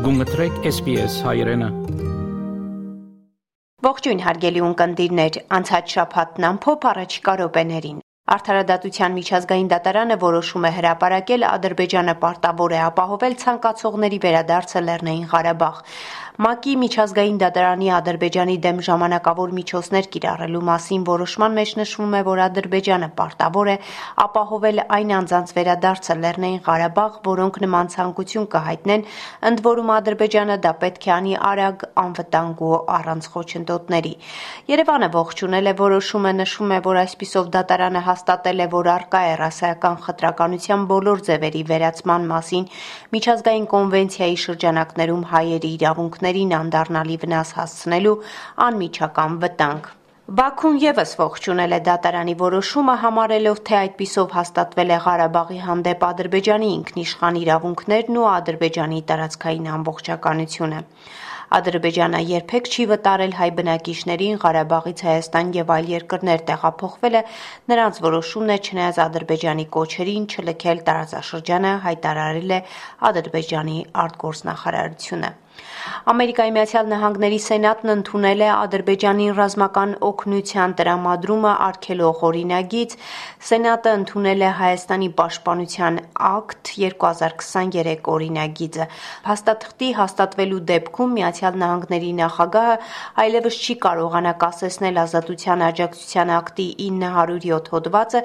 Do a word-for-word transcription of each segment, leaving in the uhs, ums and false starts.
Գումտրեք S B S հայրենը։ Ողջույն հարգելի ունկնդիրներ, անցած շաբաթն ամփոփ առաջիկա րոպեներին։ Արդարադատության միջազգային դատարանը որոշում է հրապարակել Ադրբեջանը պարտավոր է ապահովել ցանկացողների վերադարձը Լեռնային Ղարաբաղ։ ՄԱԿ-ի միջազգային դատարանի Ադրբեջանի դեմ ժամանակավոր միջոցներ կիրառելու մասին որոշման մեջ նշվում է, որ Ադրբեջանը պարտավոր է ապահովել այն անձանց վերադարձը Լեռնային Ղարաբաղ, որոնք նման ցանկություն կհայտնեն, ընդ որում Ադրբեջանը դա պետք է անի արագ, անվտանգ ու առանց խոչընդոտների։ Երևանը ողջունել է որոշումը, նշվում է, որ այսպիսով դատարանը հաստատել է, որ առկա է ռասայական խտրականության բոլոր ձևերի վերացման մասին միջազգային կոնվենցիայի շրջանակներում հայերի իրավունքներին անդառնալի վնաս հասցնելու անմիջական վտանգ։ Բաքուն ևս ողջունել է դատարանի որոշումը, համարելով, թե այդպիսով հաստատվել է Ղարաբաղի հանդեպ Ադրբեջանի ինքնիշխան իրավունքներն ու Ադրբեջանի տարածքային ամբողջականությունը։ Ադրբեջանը երբեք չի վտարել հայ բնակիչներին Ղարաբաղից Հայաստան եւ այլ երկրներ տեղափոխվելը, նրանց որոշումն է, չնայած Ադրբեջանի կոչերին չլքել տարածաշրջանը, հայտարարել է Ադրբեջանի արտգործնախարարությունը։ Ամերիկայի Միացյալ Նահանգների Սենատն ընդունել է Ադրբեջանին ռազմական օգնության տրամադրումը արգելող օրինագիծ։ Սենատը ընդունել է Հայաստանի պաշտպանության ակտ երկու հազար քսաներեք օրինագիծը։ Փաստաթղթի հաստատվելու դեպքում Միացյալ Նահանգների նախագահը այլևս չի կարողանա կասեցնել Ազատության աջակցության ակտի ինը հարյուր յոթ հոդվածը,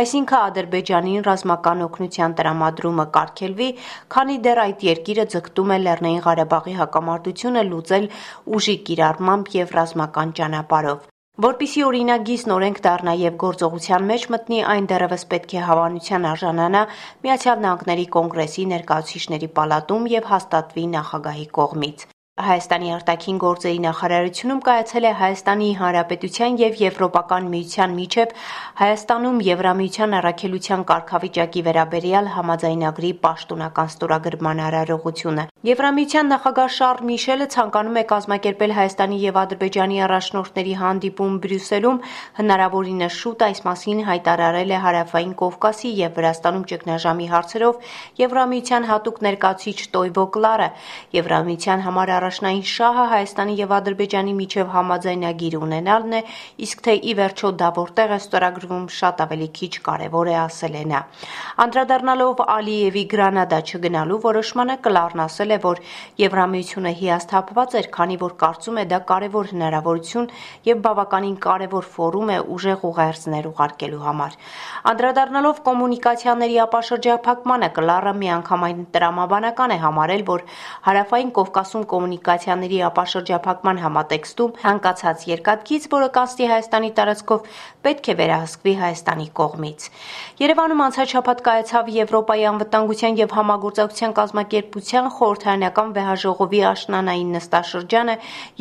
այսինքն Ադրբեջանին ռազմական օգնության տրամադրումը կարգելվի, քանի դեռ այդ երկիրը ձգտում է Լեռնային Ղարաբաղի հակամարտությունը լուծել ուժի կիրառմամբ եւ ռազմական ճանապարհով։ Որպիսի օրինագիծն օրենք դառնա եւ գործողության մեջ մտնի, այն դեռևս պետք է հավանության արժանանա Միացյալ Նահանգների Կոնգրեսի ներկայացուցիչների պալատում եւ հաստատվի նախագահի կողմից։ Հայաստանի արտաքին գործերի նախարարությունում կայացել է Հայաստանի Հանրապետության եւ Եվրոպական միության միջև Հայաստանում Եվրամիության առաքելության կարգավիճակի վերաբերյալ համաձայնագրի պաշտոնական ստորագրման արարողությունը։ Եվրամիության նախագահ Շարլ Միշելը ցանկանում է կազմակերպել Հայաստանի եւ Ադրբեջանի առաջնորդների հանդիպում Բրյուսելում, հնարավորինս շուտ այս մասին հայտարարել է Հարավային Կովկասի եւ Վրաստանում ճգնաժամի հարցերով Եվրամիության հատուկ ներկայացուցիչ Տոյվո Կլարը։ Եվրամիության համար առաջնային շահը Հայաստանի եւ Ադրբեջանի միջև համաձայնագիր ունենալն է, իսկ թե ի վերջո դա որտեղ է ստորագրվում, շատ ավելի քիչ կարևոր է, ասել է նա։ Անդրադառնալով Ալիևի Գրանադա չգնալու որոշմանը, Կլարն ասել է, որ Եվրամիությունը հիասթափված էր, քանի որ կարծում է դա կարևոր հնարավորություն եւ բավականին կարևոր ֆորում է ուժեղ ուղերձներ ուղարկելու համար։ Անդրադառնալով կոմունիկացիաների ապաշրջափակմանը, Կլարը միանգամայն տրամաբանական է համարել, որ Հարավային Կովկասում կոմունիկացիաների ապաշրջափակման համատեքստում հանգացած երկաթգիծ, որը կասի Հայաստանի տարածքով, պետք է վերահսկվի Հայաստանի կողմից։ Երևանում անցած շաբաթ կայացավ Եվրոպայի անվտանգության եւ համագործակցության կազմակերպության խորհրդարանական վեհաժողովի աշնանային նստաշրջանը,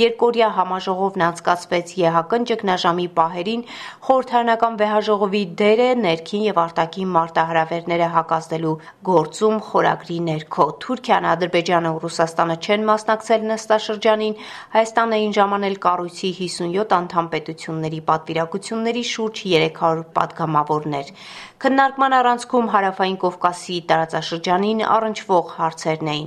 երկօրյա համաժողովն անցկացվեց ԵՀԿ ճգնաժամի պահերին, խորհրդարանական վեհաժողովի դերը ներքին եւ արտաքին մարտահրավերները հակազդելու գործում խորագրի ներքո։ Թուրքիան, Ադրբեջանը ու Ռուսաստանը չեն մասնակցել նստաշրջանին, Հայաստանն էին ժամանել կառույցի հիսունյոթ անդամ պետությունների պատվիրակությունների շուրջ երեք հարյուր պատգամավորներ։ Քննարկման առանցքում Հարավային Կովկասի տարածաշրջանին առնչվող հարցերն էին։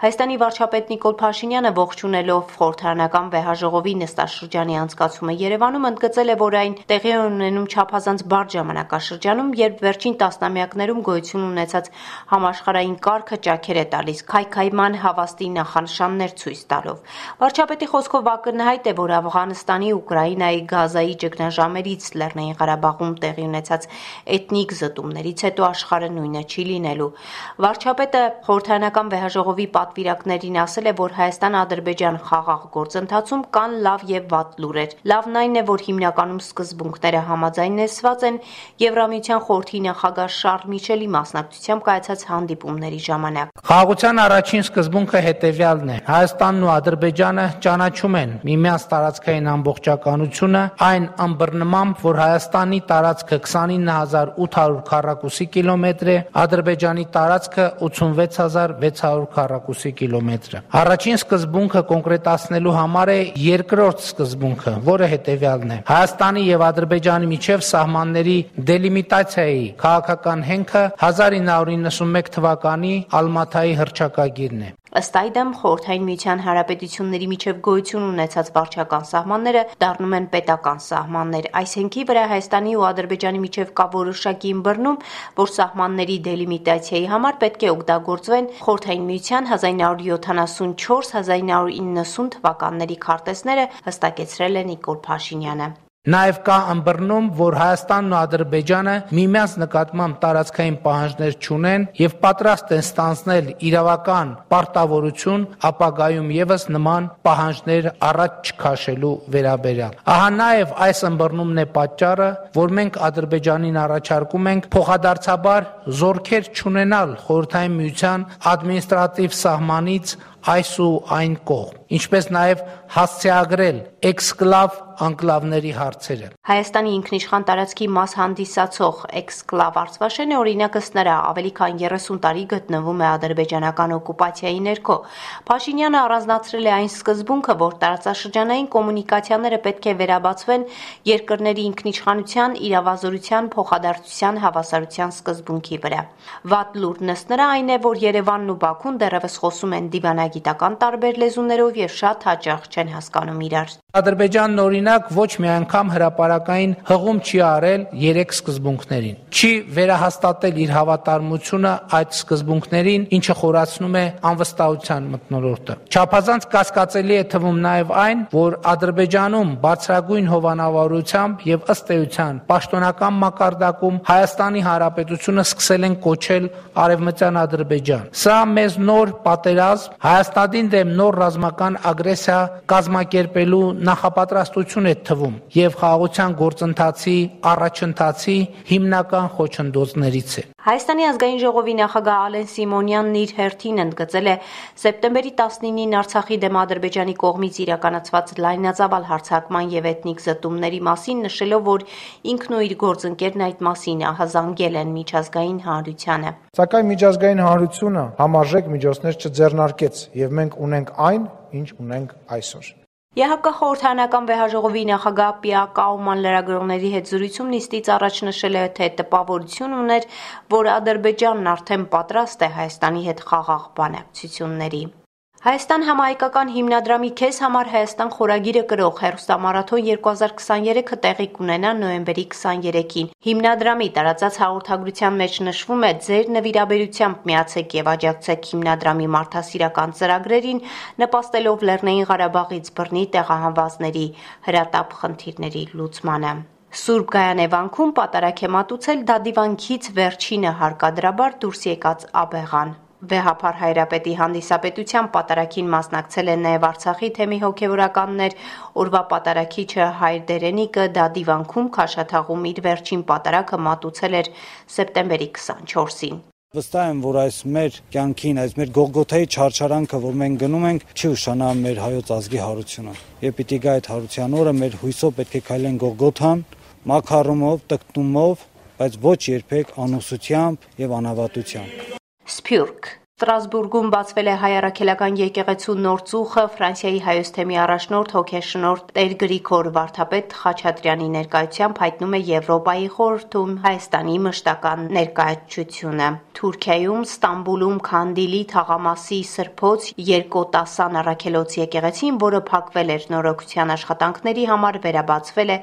Հայաստանի վարչապետ Նիկոլ Փաշինյանը ողջունելով խորհրդարանական վեհաժողովի նստաշրջանի անցկացումը Երևանում ընդգծել է, որ այն տեղի է ունենում չափազանց բարդ ժամանակաշրջանում, երբ վերջին տասնամյակներում գոյություն ունեցած համաշխարհային կարգը ճաքեր է տալիս քայքայման հավաստի նախանշաններ ցույց տալով։ Վարչապետի խոսքով ակնհայտ է, որ Աֆղանստանի, Ուկրաինայի, Գազայի ճգնաժամերից Լեռնային Ղարաբաղում տեղի ունեցած էթնիկ զտումներից հետո աշխարհը նույնը չի լինելու։ Վարչապետը խորհրդարանական վեհաժողովի պատվիրակներին ասել է, որ Հայաստան-Ադրբեջան խաղաղ գործընթացում կան լավ եւ վատ լուրեր։ Լավն այն է, որ հիմնականում սկզբունքները համաձայնեցված են Եվրամիության խորհրդի նախագահ Շարլ Միշելի մասնակցությամբ կայացած հանդիպումների ժամանակ։ Խաղաղության առաջին սկզբունքը հետևյալն է. Հայաստանն ու Ադրբեջանը ճանաչում են միմյանց տարածքային ամբողջականությունը այն ըմբռնմամբ, որ Հայաստանի տարածքը քսանինը հազար ութ հարյուր քառակուսի կիլոմետր է, Ադրբեջանի տարածքը ութսունվեց հազար վեց հարյուր քառակուսի կիլոմետր է։ Առաջին սկզբունքը կոնկրետացնելու համար է երկրորդ սկզբունքը, որը հետևյալն է. Հայաստանի եւ Ադրբեջանի միջև սահմանների դելիմիտացիայի քաղաքական հենքը հազար ինը հարյուր իննսունմեկ թվականի Ալմաթայի հռչակագիրն է։ Ըստ այդմ, Խորհրդային Միության Հանրապետությունների միջև գոյություն ունեցած վարչական սահմանները դառնում են պետական սահմաններ։ Այս հենքի վրա Հայաստանի ու Ադրբեջանի միջև կա որոշակի ըմբռնում, որ սահմանների դելիմիտացիայի համար պետք է օգտագործվեն Խորհրդային Միության հազար ինը հարյուր յոթանասունչորս - հազար ինը հարյուր իննսուն թվականների քարտեզները, հստակեցրել է Նիկոլ Փաշինյանը։ Նաև կա ըմբռնում, որ Հայաստանն ու Ադրբեջանը միմյանց նկատմամբ տարածքային պահանջներ չունեն եւ պատրաստ են ստանձնել իրավական պարտավորություն ապագայում եւս նման պահանջներ առաջ չքաշելու վերաբերյալ։ Ահա նաև այս ըմբռնումն է պատճառը, որ մենք Ադրբեջանին առաջարկում ենք փոխադարձաբար զորքեր չունենալ Խորհրդային Միության ադմինիստրատիվ սահմանից այս ու այն կողմ, ինչպես նաև հասցեագրել էքսկլավ անկլավների հարցերը։ Հայաստանի ինքնիշխան տարածքի մաս հանդիսացող էքսկլավ Արցվաշենը օրինակ ըստ նրա ավելի քան երեսուն տարի գտնվում է ադրբեջանական օկուպացիայի ներքո։ Փաշինյանը առանձնացրել է այն սկզբունքը, որ տարածաշրջանային կոմունիկացիաները պետք է վերաբացվեն երկրների ինքնիշխանության, իրավազորության, փոխադարձության, հավասարության սկզբունքի վրա։ Վատ լուրն ըստ նրա այն է, որ Երևանն ու Բաքուն դեռևս խոսում են դիվանագիտական տարբեր լեզուներով եւ շատ հաճախ չեն հասկանում իրար։ Ադրբեջանն օրինակ ոչ մի անգամ հրապարակային հղում չի արել երեք սկզբունքներին։ Չի վերահաստատել իր հավատարմությունը այդ սկզբունքներին, ինչը խորացնում է անվստահության մթնոլորտը։ Չափազանց կասկածելի է թվում նաև այն, որ Ադրբեջանում բարձրագույն հովանավորությամբ եւ ըստ էության պաշտոնական մակարդակում Հայաստանի Հանրապետությունը սկսել են կոչել Արևմտյան Ադրբեջան։ Սա մեզ նոր պատերազմ, Հայաստանին դեմ նոր ռազմական ագրեսիա կազմակերպելու նախապատրաստություն է թվում եւ խաղաղության գործընթացի առաջընթացի հիմնական խոչընդոտներից է։ Հայաստանի ազգային ժողովի նախագահ Ալեն Սիմոնյանն իր հերթին ընդգծել է սեպտեմբերի տասնինին Արցախի դեմ Ադրբեջանի կողմից իրականացված լայնածավալ հարձակման եւ էթնիկ զտումների մասին, նշելով, որ ինքն ու իր գործընկերն այդ մասին ահազանգել են միջազգային հանրությանը։ Սակայն միջազգային հանրությունը համարժեք միջոցներ չձեռնարկեց եւ մենք ունենք այն, ինչ ունենք այսօր։ ԵՀԿ խորհրդարանական վեհաժողովի նախագահ Պիա Կաուման լրագրողների հետ զրույցում նիստից առաջ նշել է, թե տպավորություն ուներ, որ Ադրբեջանն արդեն պատրաստ է Հայաստանի հետ խաղաղ բանակցությունների։ Հայաստան համահայկական հիմնադրամի «Քեզ համար Հայաստան» խորագիրը կրող հեռուստամարաթոն երկու հազար քսաներեքը տեղի կունենա նոյեմբերի քսաներեքին։ Հիմնադրամի տարածած հաղորդագրության մեջ նշվում է՝ ձեր նվիրաբերությամբ միացեք եւ աջակցեք հիմնադրամի մարդասիրական ծրագրերին, նպաստելով Լեռնային Ղարաբաղից բռնի տեղահանվածների հրատապ խնդիրների լուծմանը։ Սուրբ Գայանե վանքում պատարագ է մատուցել դադիվանքից վերջինը հարկադրաբար դուրս եկած աբեղան։ Վեհափար Հայրապետի հանդիսապետությամբ պատարագին մասնակցել են նաև Արցախի թեմի հոգևորականներ, օրվա պատարագիչը Հայր Դերենիկը դադիվանքում Քաշաթաղում իր վերջին պատարագը մատուցել էր սեպտեմբերի քսանչորսին։ Վստահ եմ, որ այս մեր կյանքին, այս մեր Գողգոթայի չարչարանքը, որ մենք գնում ենք, չի ուշանա մեր հայոց ազգի հարությունը։ Եվ պիտի գա այդ հարության օրը, մեր հույսով պետք է քայլեն Գողգոթան, մաքարումով, տկտումով, բայց ոչ երբեք անուսությամբ եւ անհավատությամբ։ Սփյուռք Ստրասբուրգում բացվել է հայ առաքելական եկեղեցու նոր ծուխը Ֆրանսիայի հայոց թեմի առաջնորդ հոգեշնորհ Տեր Գրիգոր Վարդապետ Խաչատրյանի ներկայությամբ հայտնում է Եվրոպայի խորհրդում Հայաստանի մշտական ներկայացությունը։ Թուրքիայում Ստամբուլում Քանդիլի թաղամասի Սրբոց Երկոտասան առաքելոց եկեղեցին, որը փակվել էր նորոգության աշխատանքների համար, վերաբացվել է։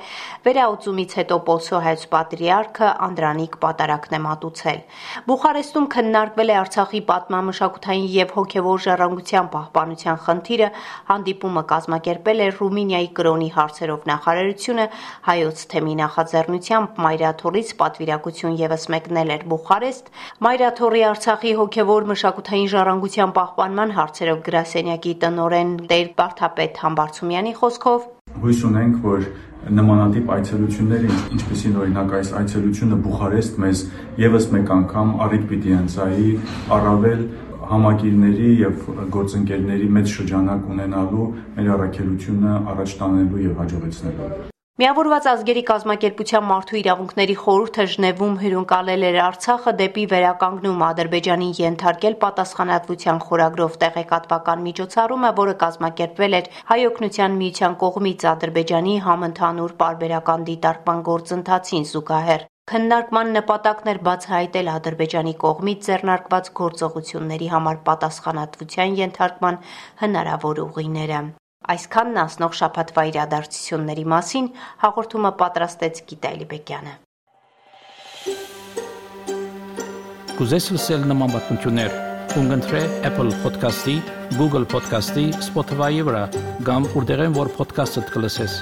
Վերաուծումից հետո Պոլսո հայոց պատրիարքը Անդրանիկ պատարագն է մատուցել։ Բուխարեստում քննարկվել է Արցախի պատմամշակութային եւ հոգեվոր ժառանգության պահպանության խնդիրը, հանդիպումը կազմակերպել է Ռումինիայի կրոնի հարցերով նախարարությունը, հայոց թեմի նախաձեռնությամբ Մայրաթորից պատվիրակություն եւս մեկնել էր Բուխարեստ, Մայրաթորի Արցախի հոգեվոր մշակութային ժառանգության պահպանման հարցերով գրասենյակի տնօրեն Տեր Վարդապետ Համբարձումյանի խոսքով հույս ունենք, որ նմանատիպ այցելությունները, ինչպեսին օրինակ այս այցելությունը Բուխարեստ մեզ եւս մեկ անգամ առիթ պիտի ընծայի առավել համագիրների եւ գործընկերների մեծ շրջանակ ունենալու մեր առաքելությունը առաջ տանելու եւ հաջողեցնելու։ Միավորված ազգերի կազմակերպության մարդու իրավունքների խորհուրդը Ժնևում հյուրընկալել էր Արցախը դեպի վերականգնում Ադրբեջանին ենթարկել պատասխանատվության խորագրով տեղեկատվական միջոցառումը, որը կազմակերպվել էր Հայ օգնության միության կողմից Ադրբեջանի համընդհանուր պարբերական դիտարկման գործընթացին զուգահեռ։ Քննարկման նպատակն էր բացահայտել Ադրբեջանի կողմից ձեռնարկված գործողությունների համար պատասխանատվության ենթարկման հնարավոր ուղիները։ Այսքանն անցնող շաբաթվա իրադարձությունների մասին հաղորդումը պատրաստեց Գիտա Էլիբեկյանը։ Կուզես լսել նման պատմություններ, կընտրե Apple Podcast-ի, Google Podcast-ի, Spotify-ի վրա, կամ որտեղեն որ podcast-ը կլսես։